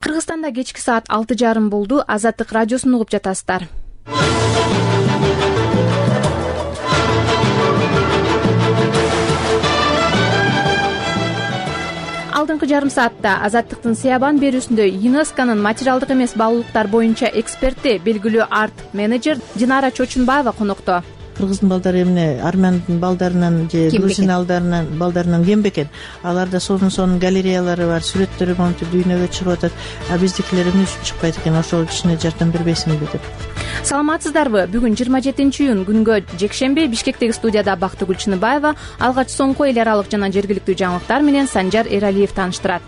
Кыргызстанда кечки саат 6:30 болду. Азаттык радиосун угуп жатасыздар. Алдыңкы жарым саатта Азаттыктын Сыябан берүүсүндө ЮНЕСКОнун материалдык эмес баалуулуктар боюнча эксперти, белгилүү арт-менеджер Динара Чочунбаева конокто. Кыргыздын балдары эмне армяндын балдарынан же грузин балдарынан кем бекен. Аларда сонун галереялары бар, сүрөттөрү монтип дүйнөгө чыгып атат. А биздикилер эмне үчүн чыкпайт экен? Ошол кичине жардам бербейсиңби деп. Саламатсыздарбы? Бүгүн 27-июнь күнгө жекшемби Бишкектеги студияда Бактыгүл Чыныбаева алгач соңку эл аралык жана жергиликтүү жаңылыктар менен Санжар Эралиев тааныштырат.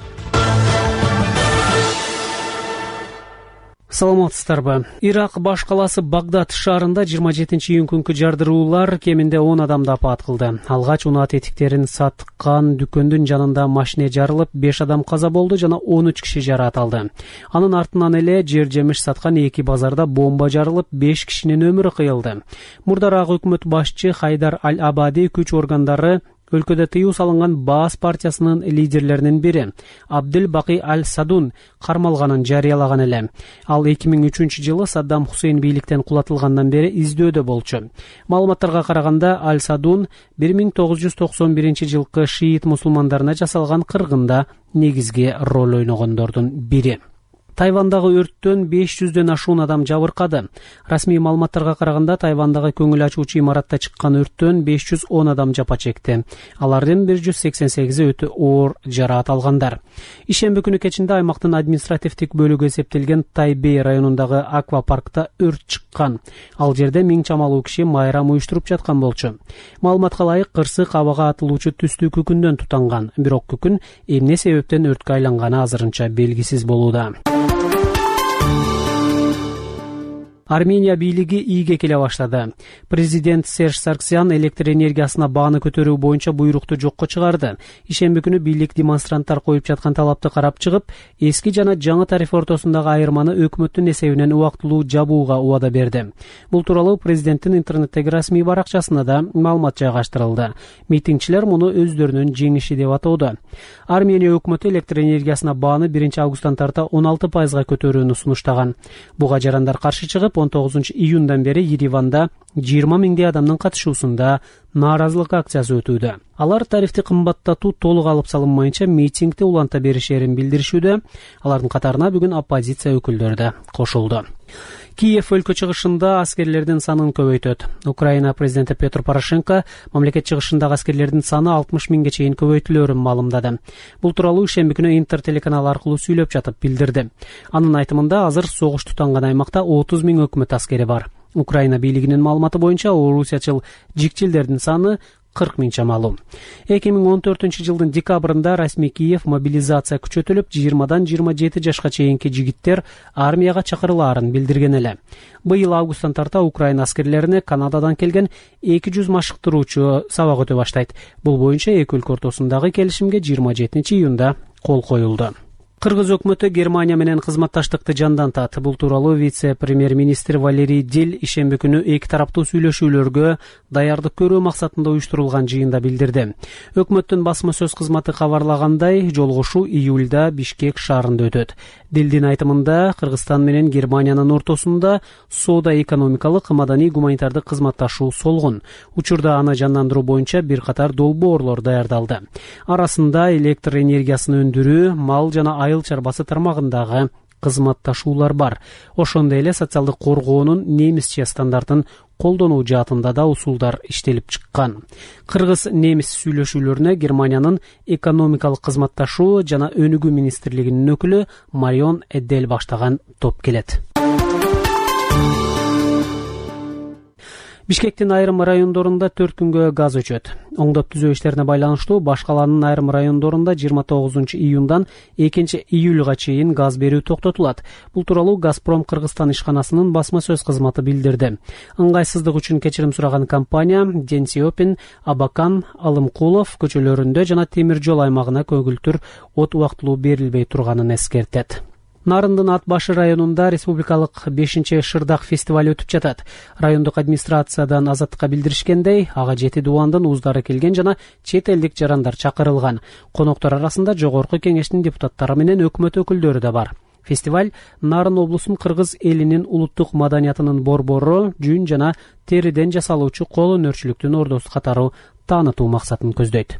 Саламатсыздарбы? Ирак баш калаасы Багдад шаарында 27-июнь күнкү жардыруулар кеминде 10 адамды апаат кылды. Алгач унаат этиктерин саткан дүкөндүн жанында машине жарылып, 5 адам каза болду жана 13 киши жараат алды. Анын артынан эле жер жемиш саткан 2 базарда бомба жарылып, 5 кишинин өмүрү кыйылды. Мурдараак өкмөт башчы Хайдар Аль-Абади күч органдары өлкөдө тыюу салынган Баас партиясынын лидерлеринин бири Абдул Баки Аль-Садун кармалганын жарыялаган эле. Ал 2003 жылы Саддам Хусейн бийликтен кулатылгандан бери издөөдө болчу. Маалыматтарга караганда Аль-Садун 1991 жылкы шиит мусулмандарына жасалган кыргында негизги роль ойногондордун бири. Тайвандагы өрттөн 500дөн ашуун адам жабыркады. Расмий маалыматтарга караганда Тайвандагы көңүл ачуучу имаратта чыккан өрттөн 510 адам жапа чекти. Алардын 188 өтө оор жараат алгандар. Ишемби күнү кечинде аймактын административдик бөлүгү эсептелген Тайбэй районундагы аквапаркта өрт чыккан. Ал жерде 1000 чамалуу киши майрам уюштуруп жаткан болчу. Маалыматка ылайык, кырсык абага атылуучу түстүү күкүндөн тутанган. Бирок күкүн эмне себептен өрткө айланганы азырынча белгисиз болууда. Армения бийлиги ийге келе баштады. Президент Серж Сарксян электр энергиясына бааны көтөрүү боюнча буйрукту жокко чыгарды. Ишемби күнү бийлик демонстранттар коюп жаткан талапты карап чыгып, эски жана жаңы тариф ортосундагы айырманы өкмөттүн эсебинен убактылуу жабууга убада берди. Бул тууралуу президенттин интернеттеги расмий баракчасына да маалымат жайгаштырылды. Митингчилер муну өздөрүнүн жеңиши деп атоодо. Армения өкмөтү электр энергиясына бааны 1 августтан тарта 16% көтөрүүнү сунуштаган. Буга жарандар каршы чыгып, 19 июндан бери Ереванда 20 миңдей адамдын катышуусунда нааразылык акциясы өтүүдө. Алар тарифти кымбаттатуу толук алып салынмайынча митингди уланта беришерин билдиришүүдө. Алардын катарына бүгүн оппозиция өкүлдөрү да кошулду. Киев өлкө чыгышында аскерлердин санын көбөйтөт. Украина президенти Петр Порошенко мамлекет чыгышындагы аскерлердин саны 60 миңге чейин көбөйтүлөрүн маалымдады. Бул тууралуу ишемби күнү Интер телеканалы аркылуу сүйлөп жатып билдирди. Анын айтымында азыр согуш тутанган аймакта 30 миң өкмөт аскери бар. Украина бийлигинин маалыматы боюнча орусиячыл жикчилдердин саны 40 миң чамалуу. 2014 жылдын декабрында расмий Киев мобилизация күчөтүлүп, 20дан 27 жашка чейинки жигиттер армияга чакырылаарын билдирген эле. Быйыл августтан тарта Украина аскерлерине Канададан келген 200 машыктыруучу сабак өтө баштайт. Бул боюнча эки өлкө ортосундагы келишимге 27 июнда кол коюлду. Кыргыз өкмөтү Германия менен кызматташтыкты жандантат. Бул тууралуу вице-премьер-министр Валерий Дил ишемби күнү эки тараптуу сүйлөшүүлөргө даярдык көрүү максатында уюштурулган жыйында билдирди. Өкмөттүн басма сөз кызматы кабарлагандай, жолугушуу июлда Бишкек шаарында өтөт. Дилдин айтымында, Кыргызстан менен Германиянын ортосунда соода-экономикалык, маданий, гуманитардык кызматташуу солгун. Учурда аны жандандыруу боюнча бир катар долбоорлор даярдалды. Арасында электр энергиясын өндүрүү, мал жана айыл чарбасы тармагындагы кызматташуулар бар. Ошондой эле социалдык коргоонун немисче стандартын колдонуу жаатында да усулдар иштелип чыккан. Кыргыз-немис сүйлөшүүлөрүнө Германиянын экономикалык кызматташуу жана өнүгүү министрлигинин өкүлү Марион Эддел баштаган топ келет. Бишкектин айрым райондорунда 4 күнгө газ өчөт. Оңдоп түзөө иштерине байланыштуу баш калаанын айрым райондорунда 29 июндан 2 июлга чейин газ берүү токтотулат. Бул тууралуу Газпром Кыргызстан ишканасынын басма сөз кызматы билдирди. Ыңгайсыздык үчүн кечирим сураган компания Денсиопин, Абакан, Алымкулов көчөлөрүндө жана темир жол аймагына көгүлтүр от убактылуу берилбей турганын эскертет. Нарындын Ат башы районунда республикалык 5-шырдак фестиваль өтүп жатат. Райондук администрациядан Азаттыкка билдиришкендей, ага 7 дубандын уздары келген жана чет элдик жарандар чакырылган. Коноктор арасында жогорку кеңештин депутаттары менен өкмөт өкүлдөрү да бар. Фестиваль Нарын облусунун кыргыз элинин улуттук маданиятынын борбору, жүн жана териден жасалуучу кол өнөрчүлүктүн ордосу катары таанытуу максатын көздөйт.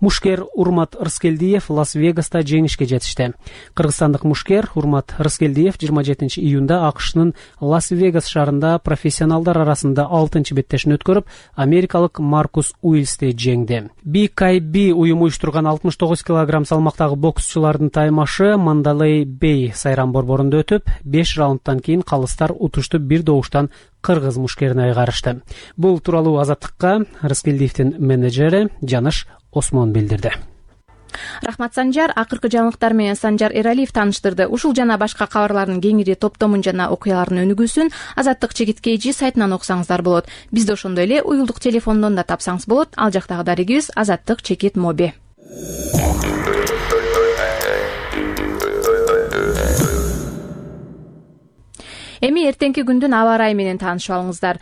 Мушкер Урмат Рыскелдиев Лас-Вегаста жеңишке жетишти. Кыргызстандык мушкер Урмат Рыскелдиев 27 июнда АКШнын Лас-Вегас шаарында профессионалдар арасында 6 беттешин өткөрүп, америкалык Маркус Уилсти жеңди. BKB уюму уюштурган 69 кг салмактагы боксчулардын таймашы Мандалей Бей сайран борборунда өтүп, 5 раундтан кийин калыстар утушту бир добуштан кыргыз мушкерине айгарышты. Бул тууралуу Азаттыкка Рыскелдиевдин менеджери Жаныш Осмон билдирди. Рахмат, Санжар. Акыркы жаңылыктар менен Санжар Эралиев тааныштырды. Ушул жана башка кабарлардын кеңири топтомун жана окуялардын өнүгүүсүн Азаттык /KG сайтынан окусаңыздар болот. Бизди ошондой эле уюлдук телефондон да тапсаңыз болот. Ал жактагы дарегибиз Азаттык/Моби. Эми эртеңки күндүн аба ырайы менен таанышып алыңыздар.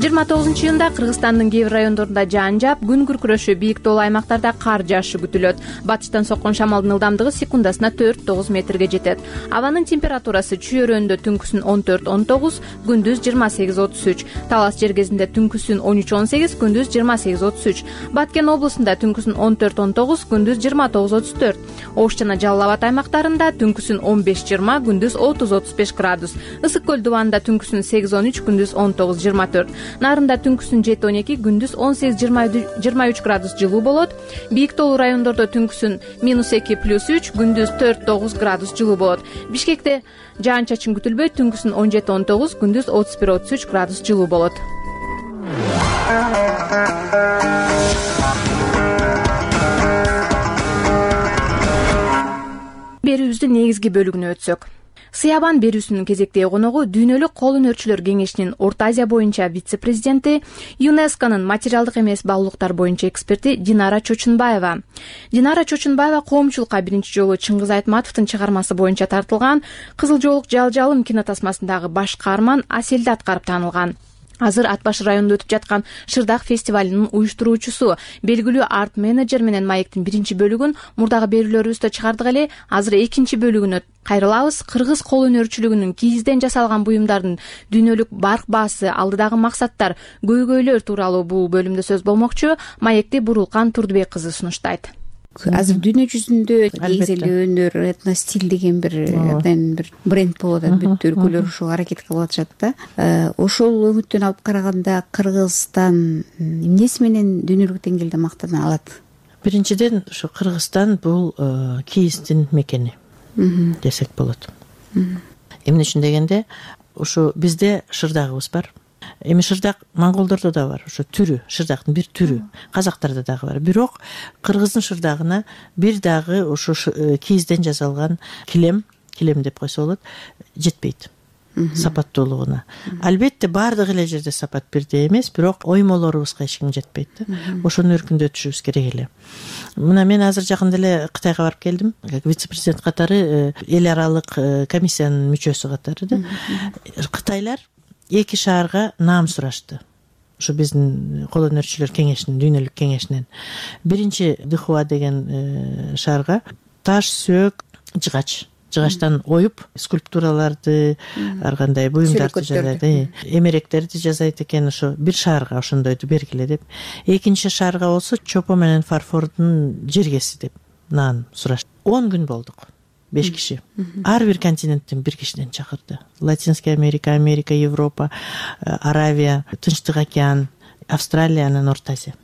29 июнда Кыргызстандын кээ бир райондорунда жаан жаап, күн күркүрөшү, бийик тоолуу аймактарда кар жаашы күтүлөт. Батыштан соккон шамалдын ылдамдыгы секундасына 4-9 метрге жетет. Абанын температурасы чүйөрөндө түнкүсүн 14-19, күндүз 28-33. Талас жергезинде түнкүсүн 13-18, күндүз 28-33. Баткен облусунда түнкүсүн 14-19, күндүз 29-34. Ош жана Жалал Абад аймактарында түнкүсүн 15-20, күндүз 30-35 градус. Ысык көл дубанында түнкүсүн 8-13, күндүз 19-24. Нарында түнкүсүн 7-12, күндүз 18-23 градус жылуу болот. Бийик тоолуу райондордо түнкүсүн -2 + 3, күндүз 4-9 градус жылуу болот. Бишкекте жаан-чачын күтүлбөйт, түнкүсүн 17-19, күндүз 31-33 градус жылуу болот. Берүүбүздүн негизги бөлүгүнө өтсөк. Сыябан берүүсүнүн кезектеги коногу Дүйнөлүк кол өнөрчүлөр кеңешинин Орто Азия боюнча вице-президенти, ЮНЕСКОнун материалдык эмес баалуулуктар боюнча эксперти Динара Чочунбаева. Динара Чочунбаева коомчулукка биринчи жолу Чыңгыз Айтматовдун чыгармасы боюнча тартылган Кызыл жоолук жалжалым кинотасмасындагы баш каарман Аселди аткарып таанылган. Азыр Ат башы районунда өтүп жаткан Шырдак фестивалынын уюштуруучусу, белгилүү арт-менеджер менен маектин биринчи бөлүгүн мурдагы берүүлөрүбүздө чыгардык эле. Азыр экинчи бөлүгүнө кайрылабыз. Кыргыз кол өнөрчүлүгүнүн кийизден жасалган буюмдардын дүйнөлүк барк баасы, алдыдагы максаттар, көйгөйлөр тууралуу бул бөлүмдө сөз болмокчу. Маекти Бурулкан Турдубек кызы сунуштайт. Азыр дүйнө жүзүндө негизи эле өнөр, этностиль деген бир бренд болуп атат. Бүт өлкөлөр ушуга аракет кылып атышат да. Ошол үмүттөн алып караганда Кыргызстан эмнеси менен дүйнөлүк деңгээлде мактана алат? Биринчиден, ушу Кыргызстан бул кийиздин мекени десек болот. Эмне үчүн дегенде, ушу бизде шырдагыбыз бар. Эми шырдак монголдордо да бар, ошо түрү, шырдактын бир түрү, казактарда дагы бар. Бирок кыргыздын шырдагына бир дагы ошо кийизден жасалган килем деп койсо болот, жетпейт сапаттуулугуна. Албетте баардык эле жерде сапат бирдей эмес, бирок оймолорубузга эч ким жетпейт да. Ошону өркүндөтүшүбүз керек эле. Мына мен азыр жакында эле Кытайга барып келдим, вице-президент катары, эл аралык комиссиянын мүчөсү катары да. Кытайлар 2 шаарга наам сурашты. Ушу биздин кол өнөрчүлөр кеңешинин, дүйнөлүк кеңешинен. Биринчи Дыхуа деген шаарга таш, сөөк, жыгачтан оюп скульптураларды, ар кандай буюмдарды жасайт, эмеректерди жасайт экен. Ошо бир шаарга ошондойду бергиле деп. Экинчи шаарга болсо чопо менен фарфордун жергеси деп наан сурашты. 10 күн болдук. 5 киши. Ар бир континенттен бир кишиден чакырды. Латинская Америка, Европа, Аравия, Тынчтык океан, Австралия, анан Орто Азия.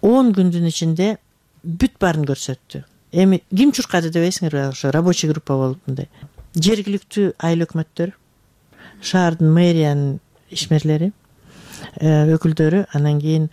10 күндүн ичинде бүт баарын көрсөттү. Эми ким чуркады дебейсиңерби? Ошо рабочий группа болуп мындай. Жергиликтүү айыл өкмөттөр, шаардын мэриянын ишмерлери, өкүлдөрү, анан кийин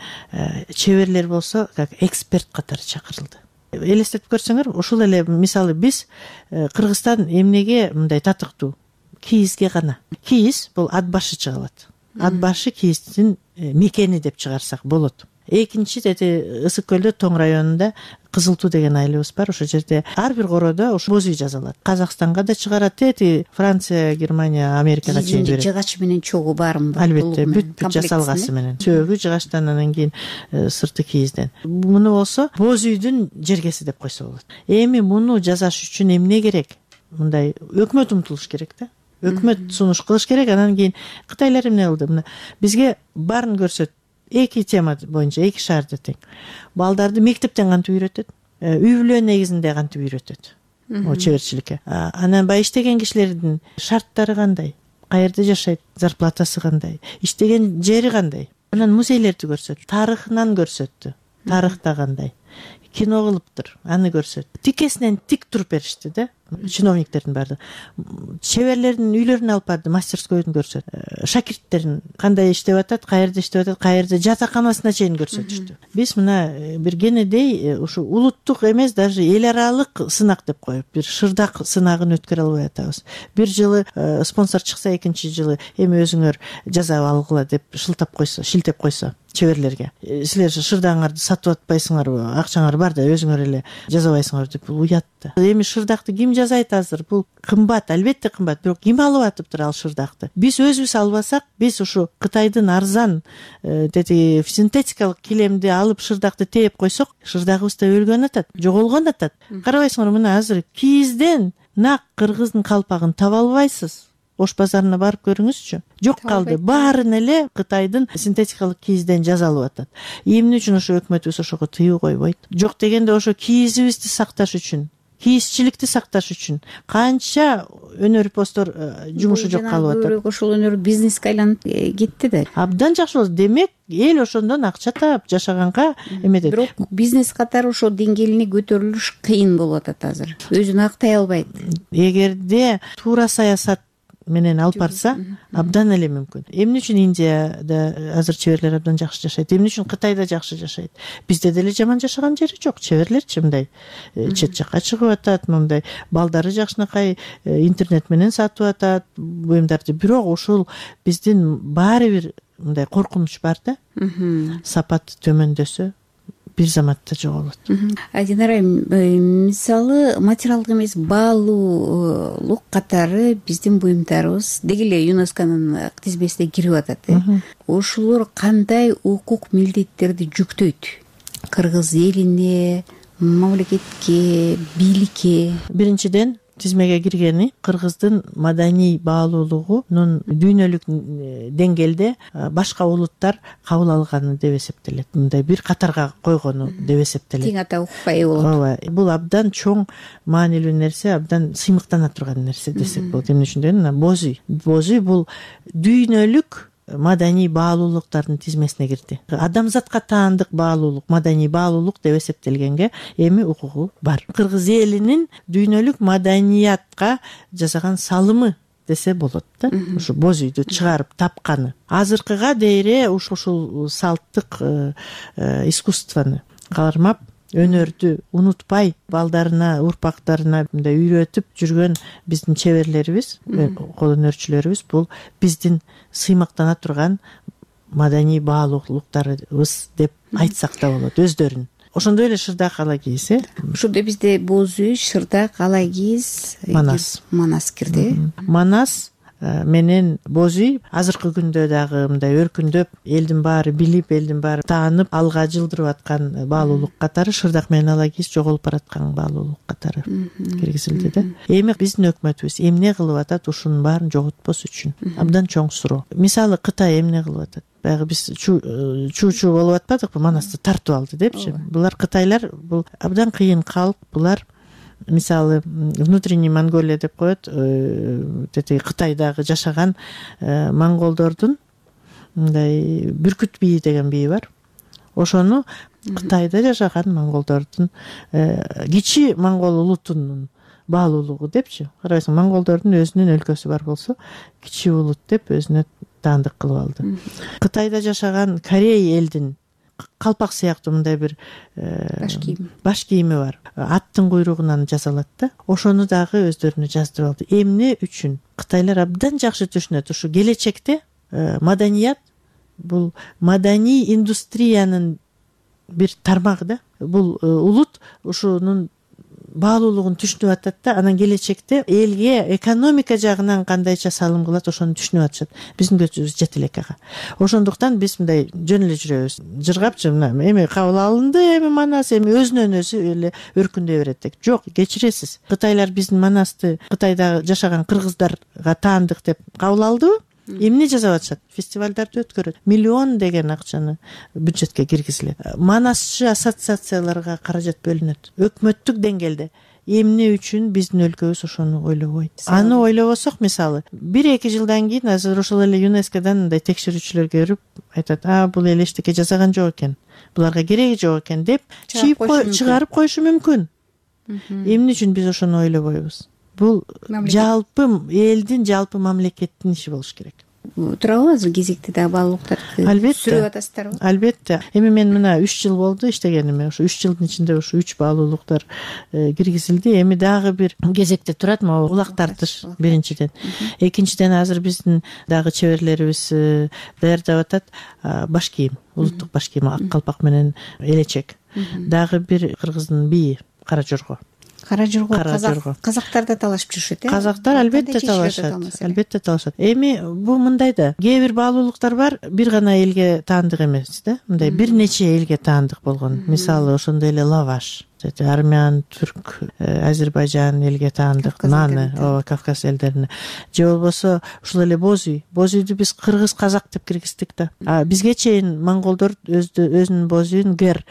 чеберлер болсо, как эксперт катары чакырылды. Элестетип көрсөңөр, ушул эле мисалы биз Кыргызстан эмнеге мындай татыктуу? Кийизге гана. Кийиз бул ат башы чыга алат. Ат башы кийиздин мекени деп чыгарсак болот. Экинчи тети Ысык көлдө Тоң районунда Кызыл Туу деген айылыбыз бар. Ошол жерде ар бир короодо ошо боз үй жасалат. Казакстанга да чыгарат, тети Франция, Германия, Америкага чейин берет. Жыгач менен чогуу бармы? Албетте, бүт жасалгасы менен. Сөөгү жыгачтан, анан кийин сырты кийизден. Муну болсо боз үйдүн жергеси деп койсо болот. Эми муну жасаш үчүн эмне керек? Мындай өкмөт умтулуш керек да. Өкмөт сунуш кылыш керек. Анан кийин кытайлар эмне кылды? Мына бизге баарын көрсөт. Эки тема боюнча, эки шаарда тең. Балдарды мектептен кантип үйрөтөт, үй бүлө негизинде кантип үйрөтөт, чеберчиликке. Анан баягы иштеген кишилердин шарттары кандай, каерде жашайт, зарплатасы кандай, иштеген жери кандай. Анан музейлерди көрсөт, тарыхынан көрсөттү. Тарыхта кандай, кино кылыптыр, аны көрсөт. Тикесинен тик туруп беришти да, чиновниктердин баары. Чеберлердин үйлөрүнө алып барды, мастерскойдун көрсөт. Шакирттерин кандай иштеп атат, каерде иштеп атат, каерде жатаканасына чейин көрсөтүштү. Биз мына бир кенедей ушу улуттук эмес, даже эл аралык сынак деп коюп, бир шырдак сынагын өткөрө албай атабыз. Бир жылы спонсор чыкса, экинчи жылы эми өзүңөр жасап алгыла деп шылтеп койсо чеберлерге. Силер шырдагыңарды сатып атпайсыңарбы? Акчаңар бар да өзүңөр эле жасабайсыңар деп уят да. Эми шырдакты ким жасайт азыр? Бул кымбат, албетте кымбат, бирок ким алып атыптыр ал шырдакты? Биз өзүбүз албасак, биз ушу Кытайдын арзан тети синтетикалык килемди алып шырдакты тээп койсок, шырдагыбыз да өлгөн атат, жоголгон атат. Карабайсыңарбы, мына азыр кийизден нак кыргыздын калпагын таба албайсыз. Ош базарына барып көрүңүзчү. Жок калды. Баарын эле Кытайдын синтетикалык кийизден жасалып атат. Эмне үчүн ошо өкмөтүбүз ошого тыюу койбойт? Жок дегенде ошо кийизибизди сакташ үчүн, кийизчиликти сакташ үчүн канча өнөр постор жумушу жок калып атат. Ошол өнөр бизнеске айланып кетти да. Абдан жакшы болду. Демек, эл ошондон акча таап жашаганга эметет. Бирок бизнес катары ошол деңгээлине көтөрүлүш кыйын болуп атат азыр. Өзүн актай албайт. Эгерде туура саясат менен алып барса, абдан эле мүмкүн. Эмне үчүн Индияда азыр чеберлер абдан жакшы жашайт? Эмне үчүн Кытайда жакшы жашайт? Бизде деле жаман жашаган жери жок. Чеберлерчи мындай чет жакка чыгып атат, мындай балдары жакшынакай интернет менен сатып атат буюмдарды. Бирок ушул биздин баары бир мындай коркунуч бар да. Сапат төмөндөсө бир заматта жоголот. Динара, мисалы материалдык эмес баалуулук катары биздин буюмдарыбыз деги эле ЮНЕСКОнун тизмесине кирип атат. Ошолор кандай укук милдеттерди жүктөйт? Кыргыз элине, мамлекетке, бийликке? Биринчиден, тизмеге киргени кыргыздын маданий баалуулугунун дүйнөлүк деңгээлде башка улуттар кабыл алганы деп эсептелет. Мындай бир катарга койгону деп эсептелет. Тең ата укукка ээ болот. Ооба, бул абдан чоң маанилүү нерсе, абдан сыймыктана турган нерсе десек болот. Эмне үчүн дегенде, боз үй. Боз үй бул дүйнөлүк маданий баалуулуктардын тизмесине кирди. Адамзатка таандык баалуулук, маданий баалуулук деп эсептелгенге эми укугу бар. Кыргыз элинин дүйнөлүк маданиятка жасаган салымы десе болот да. Ушу боз үйдү чыгарып тапканы. Азыркыга дейре ушул салттык искусствону кармап, өнөрдү унутпай, балдарына, урпактарына мындай үйрөтүп жүргөн биздин чеберлерибиз, кол өнөрчүлөрүбүз бул биздин сыймыктана турган маданий баалуулуктарыбыз деп айтсак да болот өздөрүн. Ошондой эле шырдак ала кийиз, Ошондо бизде боз үй, шырдак, ала кийиз, манас кирди. Манас менен боз үй азыркы күндө дагы мындай өркүндөп, элдин баары билип, элдин баары таанып, алга жылдырып аткан баалуулук катары шырдак менен ала кийиз жоголуп бараткан баалуулук катары киргизилди да. Эми биздин өкмөтүбүз эмне кылып атат ушунун баарын жоготпос үчүн? Абдан чоң суроо. Мисалы Кытай эмне кылып атат? Баягы биз чуу болуп атпадыкпы? Манасты тартып алды депчи. Булар Кытайлар, бул абдан кыйын калк. Булар мисалы внутренний Монголия деп коет, тети Кытайдагы жашаган монголдордун мындай бүркүт бийи деген бийи бар. Ошону Кытайда жашаган монголдордун кичи монгол улутунун баалуулугу депчи. Карайсың, монголдордун өзүнүн өлкөсү бар болсо, кичи улут деп өзүнө таандык кылып алды. Кытайда жашаган Корей элдин калпак сыяктуу мындай бир баш кийими бар. Аттын куйругунан жасалат да. Ошону дагы өздөрүнө жаздырып алды. Эмне үчүн? Кытайлар абдан жакшы түшүнөт, ушу келечекте маданият бул маданий индустриянын бир тармагы да. Бул улут ушунун баалуулугун түшүнүп атат да, анан келечекте элге экономика жагынан кандайча салым кылат ошону түшүнүп атышат. Биздин көзүбүз жете элек ага. Ошондуктан биз мындай жөн эле жүрөбүз. Жыргапчы мына эми кабыл алынды, эми Манас эми өзүнөн өзү эле өркүндөй берет деп. Жок, кечиресиз. Кытайлар биздин Манасты Кытайда жашаган кыргыздарга таандык деп кабыл алдыбы? Эмне жасап атышат? Фестивалдарды өткөрөт. Миллион деген акчаны бюджетке киргизилет. Манасчы ассоциацияларга каражат бөлүнөт. Өкмөттүк деңгээлде эмне үчүн биздин өлкөбүз ошону ойлобойт? Аны ойлобосок, мисалы, 1-2 жылдан кийин азыр ошол эле ЮНЕСКОдан мындай текшерүүчүлөр келип айтат: бул эл эчтеке жасаган жок экен, буларга кереги жок экен деп чыгарып коюшу мүмкүн. Эмне үчүн биз ошону ойлобойбуз? Бул жалпы элдин, жалпы мамлекеттин иши болуш керек. Турабы азыр кезекте дагы баалуулуктарды сүрүп атасыздарбы? Албетте. Эми мен мына 3 жыл болду иштегениме. Ошо 3 жылдын ичинде ошо 3 баалуулуктар киргизилди. Эми дагы бир кезекте турат могу улак тартыш биринчиден. Экинчиден азыр биздин дагы чеберлерибиз даярдап атат баш кийим, улуттук баш кийим, ак калпак менен элечек. Дагы бир кыргыздын бийи Кара жорго. Кара жорго казактар да талашып жүрүшөт, Казактар албетте талашат. Эми бул мындай да, кээ бир баалуулуктар бар, бир гана элге таандык эмес да. Мындай бир нече элге таандык болгон. Мисалы, ошондой эле лаваш, армян, түрк, Азербайжан элге таандык, наны, Кавказ элдерине. Же болбосо ушул эле боз үйдү биз кыргыз казак деп киргиздик да. Бизге чейин монголдор өзүнүн боз үйүн гер,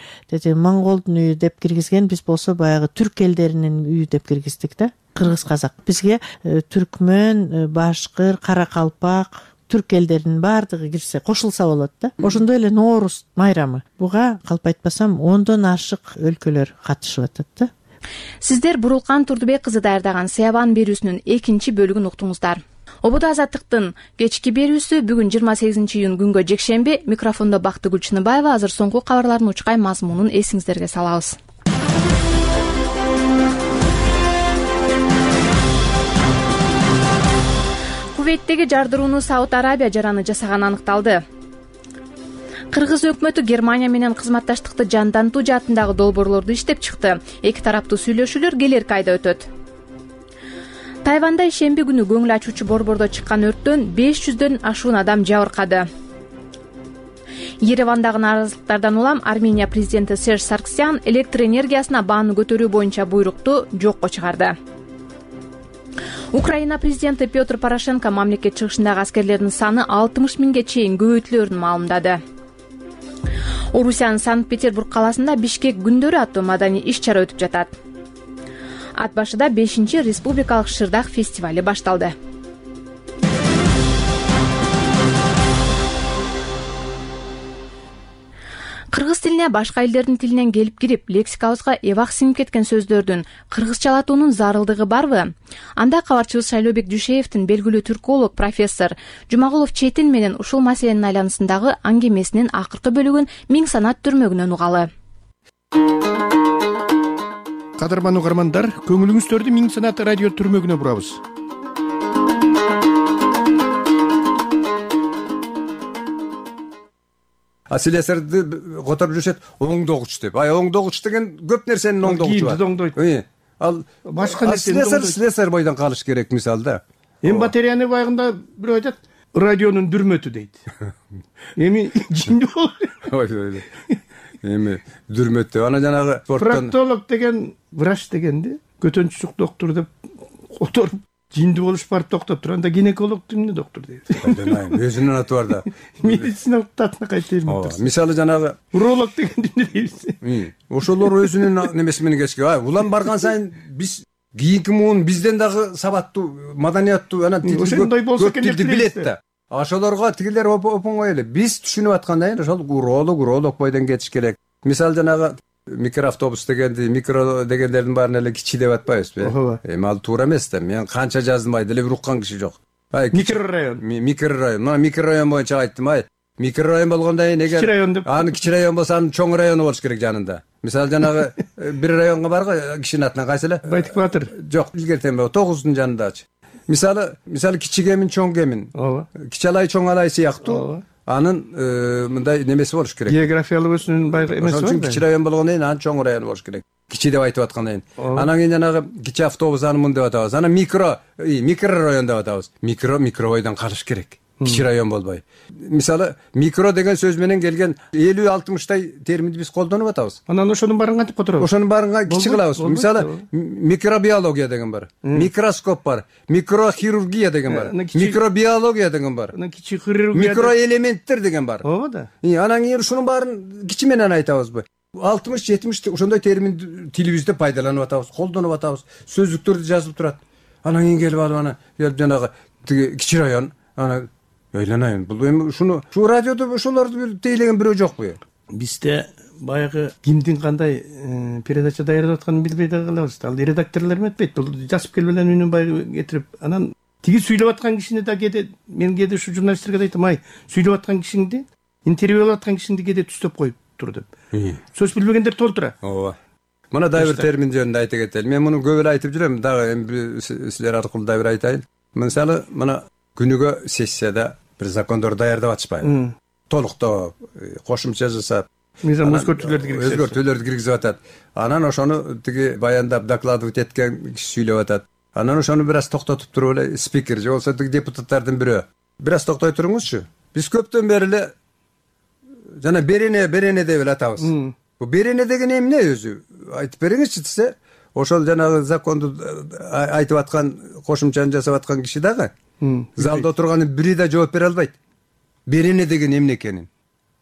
монголдун үйү деп киргизген, биз болсо баягы түрк элдеринин үйү деп киргиздик да. Кыргыз казак. Бизге түркмөн, башкыр, кара калпак, түрк элдеринин баардыгы кирсе, кошулса болот да. Ошондой эле Нооруз майрамы. Буга калп айтпасам 10дон ашык өлкөлөр катышып атат да. Сиздер Бурулкан Турдубек кызы даярдаган Сыябан берүүсүнүн 2 бөлүгүн уктуңуздар. Ободо Азаттыктын кечки берүүсү бүгүн 28-июнь күнгө жекшемби. Микрофондо Бактыгүл Чыныбаева. Азыр соңку кабарлардын учкай мазмунун эсиңиздерге салабыз. Кувейттеги жардырууну Сауд Арабия жараны жасаганы аныкталды. Кыргыз өкмөтү Германия менен кызматташтыкты жандантуу жаатындагы долбоорлорду иштеп чыкты. Эки тараптуу сүйлөшүүлөр келерки айда өтөт. Тайванда ишемби күнү көңүл ачуучу борбордо чыккан өрттөн 500дөн ашуун адам жабыркады. Еревандагы нааразылыктардан улам Армения президенти Серж Сарксян электр энергиясына бааны көтөрүү боюнча буйрукту жокко чыгарды. Украина президенти Петр Порошенко мамлекет чыгышындагы аскерлердин саны 60 миңге чейин көбөйтүлөрүн маалымдады. Орусиянын Санкт-Петербург каласында Бишкек күндөрү аттуу маданий иш-чара өтүп жатат. Ат башыда 5-чи республикалык шырдак фестивали башталды. Кыргыз тилине башка элдердин тилинен келип кирип, лексикабызга эбак сиңип кеткен сөздөрдүн кыргызчалатуунун зарылдыгы барбы? Анда кабарчыбыз Шайлообек Дүйшеевдин белгилүү түрколог профессор Жумагулов Четин менен ушул маселенин айланысындагы аңгемесинин акыркы бөлүгүн Миң санат түрмөгүнөн угалы. Кадырман угармандар, көңүлүңүздөрдү Миң санат радио түрмөгүнө бурабыз. Слесарьды которуп жүрүшөт, оңдогуч деп. Оңдогуч деген көп нерсенин оңдогучу бар. Оңдойт. Ал башка нерсени слесарь бойдон калыш керек мисалда. Эми батареяны байгында бирөө айтат, радионун дүрмөтү дейт. Эми жинди болот. Эми дүрмөтү. Ана жанагы спорттон проктолог деген, врач дегенди, көтөнчүк доктор деп которуп жинди болуш барып токтоп тур. Анда гинеколог эмне доктор дейт. Өзүнүн аты бар да. Медициналык атына кайтайм. Мисалы жанагы уролог деген эмне дейбиз. Ошолор өзүнүн немеси менен кечке. Улам барган сайын биз кийинки муун бизден дагы сабаттуу, маданияттуу, анан ошондой болсо экен деп билет да. Ошолорго тигилер оңой эле. Биз түшүнүп аткандай ошол уролог бойдон кетиш керек. Мисалы жанагы микроавтобус дегенди, микро дегендердин баарын эле кичи деп атпайбызбы? Эми ал туура эмес да. Мен канча жаздым, деле бир уккан киши жок. Микрорайон. Мына микрорайон боюнча айттым, микрорайон болгондон кийин эгер аны кичи район болсо, анын чоң району болуш керек жанында. Мисалы жанагы бир районго барго кишинин атынан кайсы эле? Байтык Батыр. Жок, илгертен 9-дун жанындачы. Мисалы кичи кемин, чоң кемин. Кичи алай, чоң алай сыяктуу. анын мындай немеси болуш керек. Географиялык өзүнүн баягы эмеси бар. Ошон үчүн кичи район болгондон кийин анын чоң район болуш керек. Кичи деп айтып аткандан кийин. Анан кийин жанагы кичи автобус анын деп атабыз. Анан микро район деп атабыз. Микробойдон калыш керек. Кичи район болбой. Мисалы, микро деген сөз менен келген 50-60 терминди биз колдонуп атабыз. Анан ошонун баарын кантип которобуз? Ошонун баарын кичи кылабыз. Мисалы, микробиология деген бар. Микроскоп бар. Микрохирургия деген бар. Микробиология деген бар. Кичи хирургия. Микроэлементтер деген бар. Ооба да. Анан кийин ушунун баарын кичи менен айтабызбы? 60-70 ошондой терминди тилибизде пайдаланып атабыз, колдонуп атабыз. Сөздүктөрдө жазылып турат. Анан кийин келип алып анан жанагы кичи район анан ойлонайын. Бул эми ушуну радиодо ошолорду тейлеген бирөө жокпу? Бизде баягы кимдин кандай передача даярдап атканын билбей да калабыз. Ал редакторлор эметпейт. Бул жазып келип эле үнүн баягы кетирип, анан тиги сүйлөп аткан кишини да мен кээде ушу журналисттерге да айтам, сүйлөп аткан кишиңди, интервью алып аткан кишиңди кээде түстөп коюп тур деп. Сөз билбегендер толтура. Ооба. Мына дагы бир термин жөнүндө айта кетели. Мен муну көп эле айтып жүрөм, дагы эми силер аркылуу дагы бир айтайын. Мисалы, мына күнүгө сессияда бир закондор даярдап атышпайбы? Толуктоо, кошумча жасап, өзгөртүүлөрдү киргизип атат. Анан ошону тиги баяндап докладывать эткен киши сүйлөп атат. Анан ошону бир аз токтотуп туруп эле спикер же болсо тиги депутаттардын бирөө. Бир аз токтой туруңузчу. Биз көптөн бери эле жана берене деп эле атабыз. Бу берене деген эмне өзү? Айтып бериңизчи десе, ошол жанагы законду айтып аткан, кошумчаны жасап аткан киши дагы залда отурганын бири да жооп бере албайт. Берене деген эмне экенин.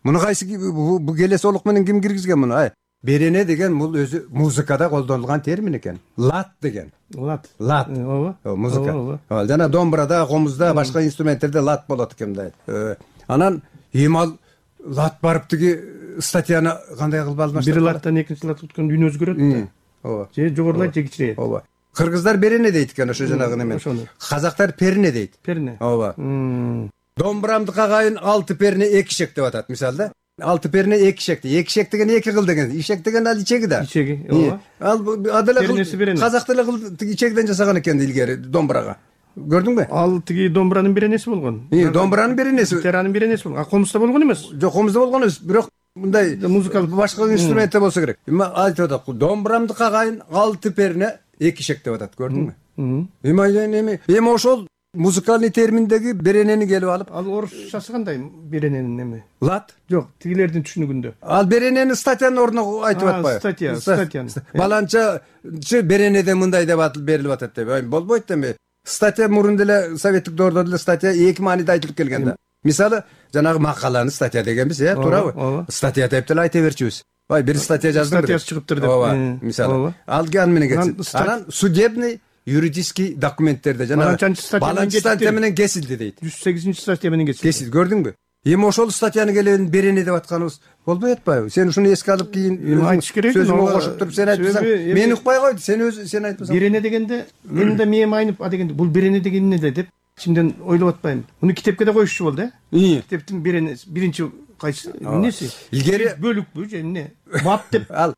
Муну кайсы бу келес олук менен ким киргизген муну? Берене деген бул өзү музыкада колдонулган термин экен. Лат деген. Лат. Ооба. Музыка. Жана домбурада, комузда, башка инструменттерде лат болот экен мындай. Анан ал лат барып тиги статьяны кандай кылып алмаштап? Бир латтан экинчи лат өткөндө үн өзгөрөт. Ооба. Же жогорулайт, же кичирейет. Ооба. Кыргыздар берене дейт экен ошо жанагы неме. Казактар перне дейт. Перне. Ооба. Домбурамды кагайын 6 перне 2 ишек деп атат мисалы да. 6 перне 2 ишек. 2 ишек деген 2 кыл деген. Ишек деген ал ичеги да. Ичеги, ооба. Ал адала кыл. Казак деле кыл ичегиден жасаган экен илгери домбурага. Көрдүңбү? Ал тиги домбуранын беренеси болгон. Домбуранын беренеси. Гитаранын беренеси болгон. Комузда болгон эмес. Жок, комузда болгон эмес. Бирок мындай музыкалык башка инструментте болсо керек. Айтып атат, домбурамды кагайын 6 перне 2 ишек деп атат, көрдүңбү? Эми ошол музыкальный терминдеги беренени келип алып, ал орусчасы кандай берененин эми? Лат? Жок, тигилердин түшүнүгүндө. Ал беренени статьянын ордуна айтып атпайбы? Статьяны. Баланча беренеде мындай деп берилип атат деп. Болбойт эми. Статья мурун деле советтик доордо деле статья эки мааниде айтылып келген да. Мисалы, жанагы макаланы статья дегенбиз, туурабы? Статья деп деле айта берчүбүз. Бир статья жаздым. Статьясы чыгыптыр деп. Ооба, мисалы. Ал ган менен кетти. Анан судебный юридический документтерде жанагы баланчы статья менен кесилди дейт. 108 статья менен кесилди. Көрдүңбү? Эми ошол статьяны келебин берене деп атканыбыз болбой атпайбы? Сен ушуну эске алып кийин айтыш керек. Сөзүмө кошуп туруп сен айтсаң, мен укпай койду. Сен айтпасаң. Берене дегенде мен да мээм айнып, дегенде бул берене деген эмне деп ичимден ойлоп атпайм. Муну китепке да коюшчу болду, Китептин беренеси биринчи кайсы эмнеси? Илгери бөлүкпү же эмне? Бап деп. Ал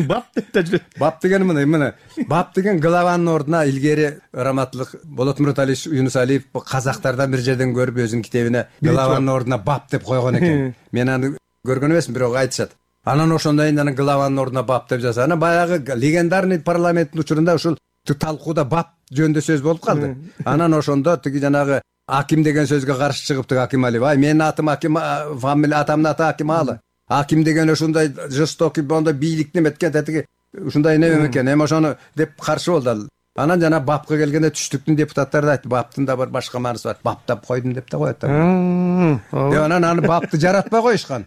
бап деп да жүрөт. Бап деген мына бап деген главанын ордуна илгери раматлык Болот Мурталиевич Юнусалиев казактардан бир жерден көрүп өзүнүн китебине главанын ордуна бап деп койгон экен. Мен аны көргөн эмесмин, бирок айтышат. Анан ошондон кийин анан главанын ордуна бап деп жаза. Анан баягы легендарный парламенттин учурунда ушул талкууда бап жөнүндө сөз болуп калды. Анан ошондо тиги жанагы Аким деген сөзгө каршы чыгып тиги Аким Алиев, менин атым Аким, фамилия атамдын аты Аким Алы. Аким деген ушундай жестокий, мондай бийликти эметкен тетиги ушундай эме экен. Эми ошону деп каршы болду ал. Анан жана бапка келгенде түштүктүн депутаттары да айтты, баптын да бир башка мааниси бар. Баптап койдум деп да коет. Анан аны бапты жаратпай коюшкан.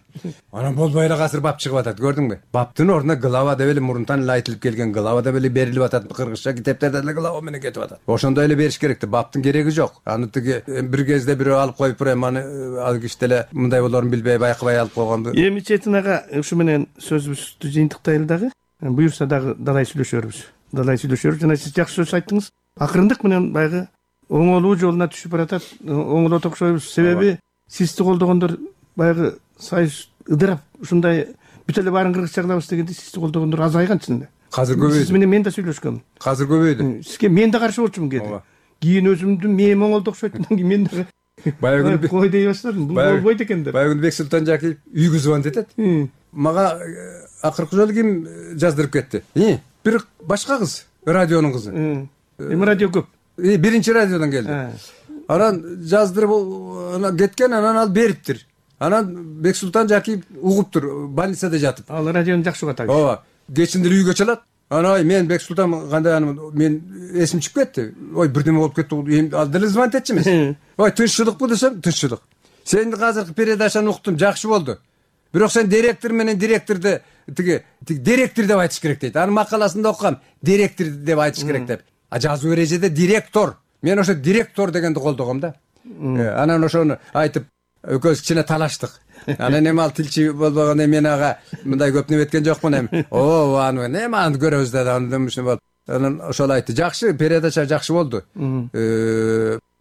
Анан болбой эле азыр бап чыгып атат, көрдүңбү? Баптын ордуна глава деп эле мурунтан эле айтылып келген, глава деп эле берилип атат. Кыргызча китептерде эле глава менен кетип атат. Ошондой эле бериш керек. Баптын кереги жок. Аны тиги бир кезде бирөө алып коюп эми аны ал киши деле мындай болорун билбей байкабай алып койгонду. Эми Четин ага ушу менен сөзүбүздү жыйынтыктайлы дагы. Буюрса дагы далай сүйлөшөрбүз. Жана сиз жакшы сөз айттыңыз. Акырындык менен баягы оңолуу жолуна түшүп баратат. Оңолот окшойбуз. Себеби сизди колдогондор баягы сайыс ыдырап ушундай бүт эле баарын кыргызча кылабыз дегенде сизди колдогондор азайган чынында. Азыр көбөйдү. Сиз менен мен да сүйлөшкөм. Азыр көбөйдү. Сизге мен да каршы болчумун кээде. Кийин өзүмдүн мээм оңолду окшойт. Мен да Баягы күнү кой дей баштадым. Бул болбойт экен деп. Баягы Бексултан Жакиев үйгө звонить этет. Мага акыркы жолу ким жаздырып кетти? Бир башка кыз, радионун кызы. Эми радио көп. Биринчи радиодон келди. Анан жаздырып анан кеткен, анан ал бериптир. Анан Бексултан Жакиев угуптур, больницада жатып. Ал радиону жакшы угат. Ооба. Кечинде үйгө чалат. Анан мен Бексултан кандай мен эсим чыгып кетти. Бирдеме болуп кетти. Ал деле звонить этчи эмес. Тынччылыкпы десем, тынччылык. Сен азыркы передачаны уктум, жакшы болду. Бирок сен директор менен директорду директор деп айтыш керек дейт. Анын макаласында окугам, директор деп айтыш керек деп. Жазуу эрежеде директор. Мен ошо директор дегенди колдогом да. Анан ошону айтып, экөөбүз кичине талаштык. Анан эми ал тилчи болбогондо мен ага мындай көп неме эткен жокмун эми. Аны эме аны көрөбүз да андымышны болуп. Анан ошол айтты. Жакшы, передача жакшы болду.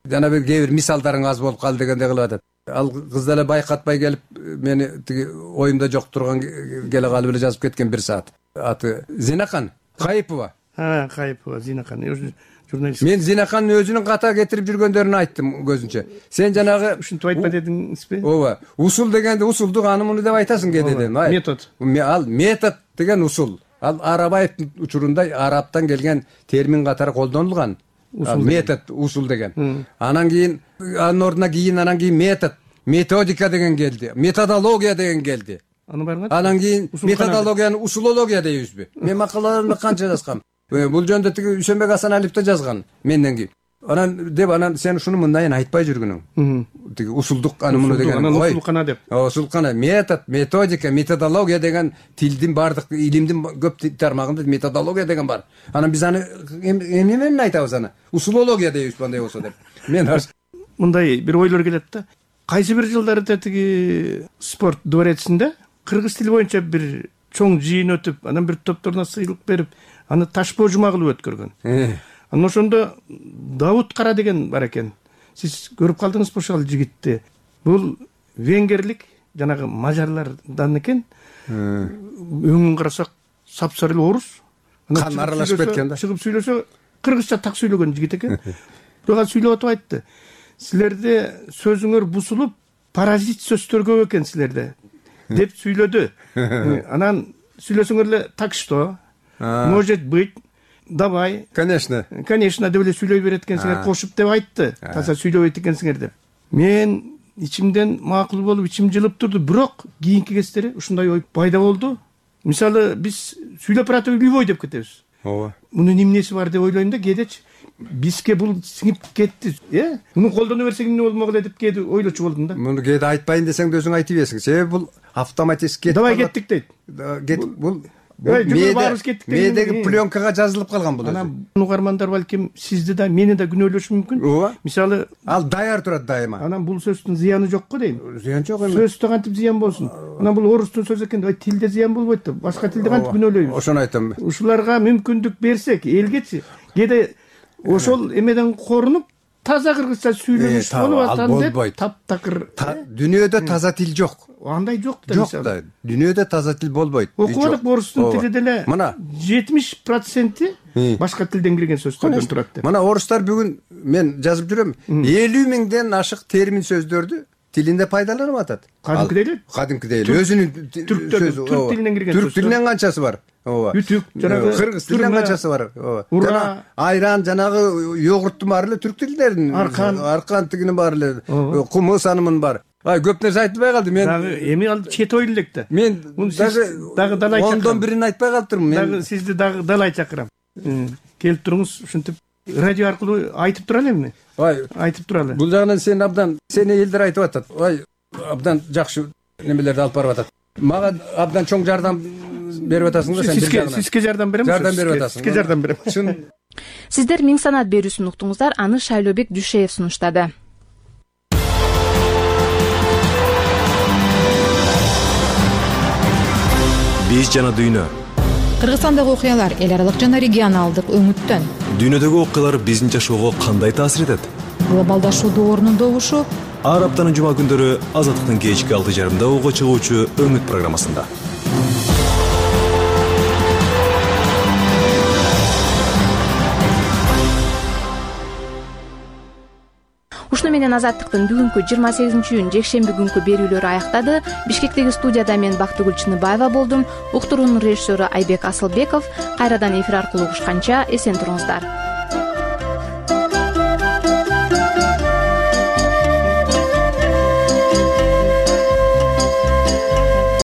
Жана бир кээ бир мисалдарың аз болуп калды дегендей кылып атат. Ал кыз деле байкатпай келип мени тиги оюмда жок турган келе калып эле жазып кеткен бир саат. Аты Зинакан Кайыпова. Кайыпова Зинакан. Журналист. Мен Зинакандын өзүнүн ката кетирип жүргөндөрүн айттым көзүнчө. Сен жанагы ушинтип айтпа дедиңизби? Ооба. Усул дегенде усулду аны муну деп айтасың кедеден. Метод. Ал метод деген усул. Ал Арабаевдин учурунда арабтан келген термин катары колдонулган. Метод, усул деген. Анан кийин анын ордуна анан кийин метод, методика деген келди. Методология деген келди. Анан кийин методологияны усулология дейбизби? Мен макалаларымда канча жазгам. Бул жөнүндө тиги Үсөнбек Асаналиев да жазган менден кийин. Анан сен ушуну мындайын айтпай жүргүнүң. Тиги усулдук аны муну деген. Усулкана деп. Усулкана, метод, методика, методология деген тилдин бардык илимдин көп тармагында методология деген бар. Анан биз аны эмне менен айтабыз аны? Усулология дейбиз кандай болсо деп. Мен мындай бир ойлор келет да. Кайсы бир жылдарда тиги спорт дворецинде кыргыз тили боюнча бир чоң жыйын өтүп, анан бир топторуна сыйлык берип, аны ташпоо жума кылып өткөргөн. Анан ошондо Давут Кара деген бар экен. Сиз көрүп калдыңызбы ошол жигитти? Бул венгерлик, жанагы мажарлардан экен. Өңүн карасак, сапсары орус. Кан аралашып кеткен да. Чыгып сүйлөсө, кыргызча так сүйлөгөн жигит экен. Бирок ал сүйлөп атып айтты. Силерде сөзүңөр бусулуп, паразит сөздөр көп экен силерде деп сүйлөдү. Анан сүйлөсөңөр эле так что? Может быть, давай. Конечно деп эле сүйлөй берет экенсиңер, кошуп деп айтты. Таза сүйлөбөйт экенсиңер деп. Мен ичимден макул болуп, ичим жылып турду, бирок кийинки кездери ушундай ой пайда болду. Мисалы, биз сүйлөп баратып любой деп кетебиз. Ооба. Мунун эмнеси бар деп ойлойм да, кээдечи бизге бул сиңип кетти. Муну колдоно берсек эмне болмок эле деп кээде ойлочу болдум да. Муну кээде айтпайын десең да өзүң айтып бересиң. Себеби бул автоматически давай кеттик дейт. Бул медеги пленкага жазылып калган бул. Анан угармандар балким сизди да мени да күнөөлөшү мүмкүн. Ооба. Мисалы, ал даяр турат дайыма. Анан бул сөздүн зыяны жок го дейм. Зыян жок эми. Сөздө кантип зыян болсун? Анан бул орустун сөзү экен, тилде зыян болбойт да. Башка тилде кантип күнөөлөйбүз? Ошону айтам. Ушуларга мүмкүндүк берсек, элгечи кээде ошол эмеден корунуп таза кыргызча сүйлөгүш болуп атат деп таптакыр. Дүйнөдө таза тил жок. Андай жок да. Жок да. Дүйнөдө таза тил болбойт. Окубадык, орустун тили деле 70% башка тилден кирген сөздөрдөн турат деп. Мына орустар бүгүн мен жазып жүрөм, 50 миңден ашык термин сөздөрдү тилинде пайдаланып атат. Кадимкидей эле. Өзүнүн сөзү. Түрк тилинен кирген сөз. Түрк тилинен канчасы бар? Ооба. Үтүк, жанагы кыргыз тилинен канчасы бар? Ооба. Айран, жанагы йогурттун баары эле түрк тилдеринин. Аркан тигинин баары эле. Кумус анымын бар. Көп нерсе айтылбай калды. Мен эми ал чет ойлу элек да. Мен дагы далай чакырам. Ондон бирин айтпай калыптырмын. Дагы сизди дагы далай чакырам. Келип туруңуз, ушинтип радио аркылуу айтып туралы эми. Айтып туралы. Бул жагынан сен абдан, сени элдер айтып атат. Абдан жакшы немелерди алып барып атат. Мага абдан чоң жардам берип атасың да сен бир жагынан. Сизге жардам берем. Жардам берип атасың. Сизге жардам берем. Чын. Сиздер Миң санаат берүүсүн уктуңуздар, аны Шайлообек Дүйшеев сунуштады. Биз жана дүйнө. Кыргызстандагы окуялар эл аралык жана регионалдык өңүттөн. Дүйнөдөгү окуялар биздин жашоого кандай таасир этет? Глобалдашуудун орнундогушу ар аптанын жума күндөрү Азаттыктын кечки 6:30 угуга чыгуучу Өңүт программасында. Ушуну ошо менен Азаттыктын бүгүнкү 28-июнь жекшемби күнкү берүүлөрү аяктады. Бишкектеги студияда мен Бактыгүл Чыныбаева болдум. Уктуруунун режиссеру Айбек Асылбеков. Кайрадан эфир аркылуу угушканча эсен туруңуздар.